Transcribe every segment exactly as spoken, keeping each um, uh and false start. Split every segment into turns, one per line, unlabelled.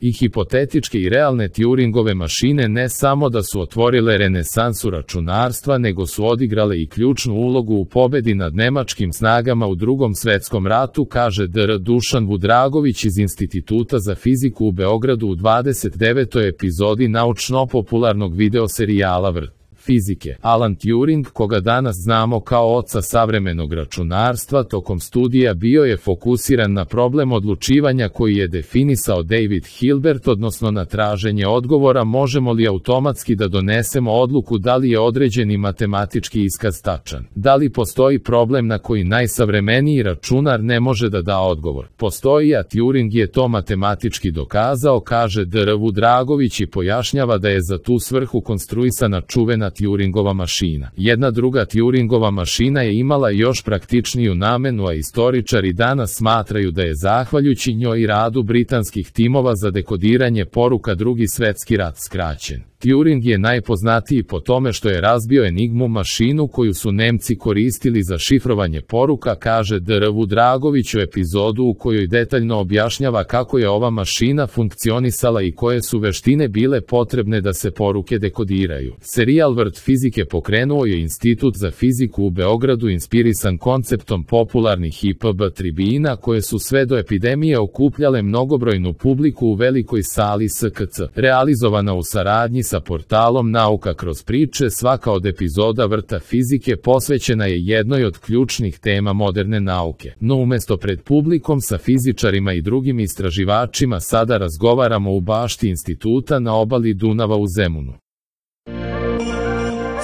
I hipotetičke i realne Turingove mašine ne samo da su otvorile renesansu računarstva, nego su odigrale i ključnu ulogu u pobedi nad nemačkim snagama u Drugom svetskom ratu, kaže dr Dušan Vudragović iz Instituta za fiziku u Beogradu u dvadeset devetoj epizodi naučno-popularnog videoserijala Vrt fizike. Alan Turing, koga danas znamo kao oca savremenog računarstva, tokom studija bio je fokusiran na problem odlučivanja koji je definisao David Hilbert, odnosno na traženje odgovora možemo li automatski da donesemo odluku da li je određeni matematički iskaz tačan. Da li postoji problem na koji najsavremeniji računar ne može da da odgovor? Postoji, a Turing je to matematički dokazao, kaže dr Vudragović i pojašnjava da je za tu svrhu konstruisana čuvena Turingova mašina. Jedna druga Turingova mašina je imala još praktičniju namenu, a istoričari danas smatraju da je zahvaljujući njoj i radu britanskih timova za dekodiranje poruka Drugi svetski rat skraćen. Turing je najpoznatiji po tome što je razbio Enigmu, mašinu koju su Nemci koristili za šifrovanje poruka, kaže dr Vudragović u epizodu u kojoj detaljno objašnjava kako je ova mašina funkcionisala i koje su veštine bile potrebne da se poruke dekodiraju. Serijal Vrt fizike pokrenuo je Institut za fiziku u Beogradu, inspirisan konceptom popularnih I P B tribina koje su sve do epidemije okupljale mnogobrojnu publiku u velikoj sali S K C. Realizovana u saradnji sa portalom Nauka kroz priče, svaka od epizoda Vrta fizike posvećena je jednoj od ključnih tema moderne nauke. No umesto pred publikom sa fizičarima i drugim istraživačima sada razgovaramo u bašti instituta na obali Dunava u Zemunu.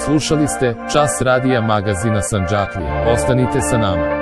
Slušali ste Čas radija magazina Sandžaklija. Ostanite sa nama.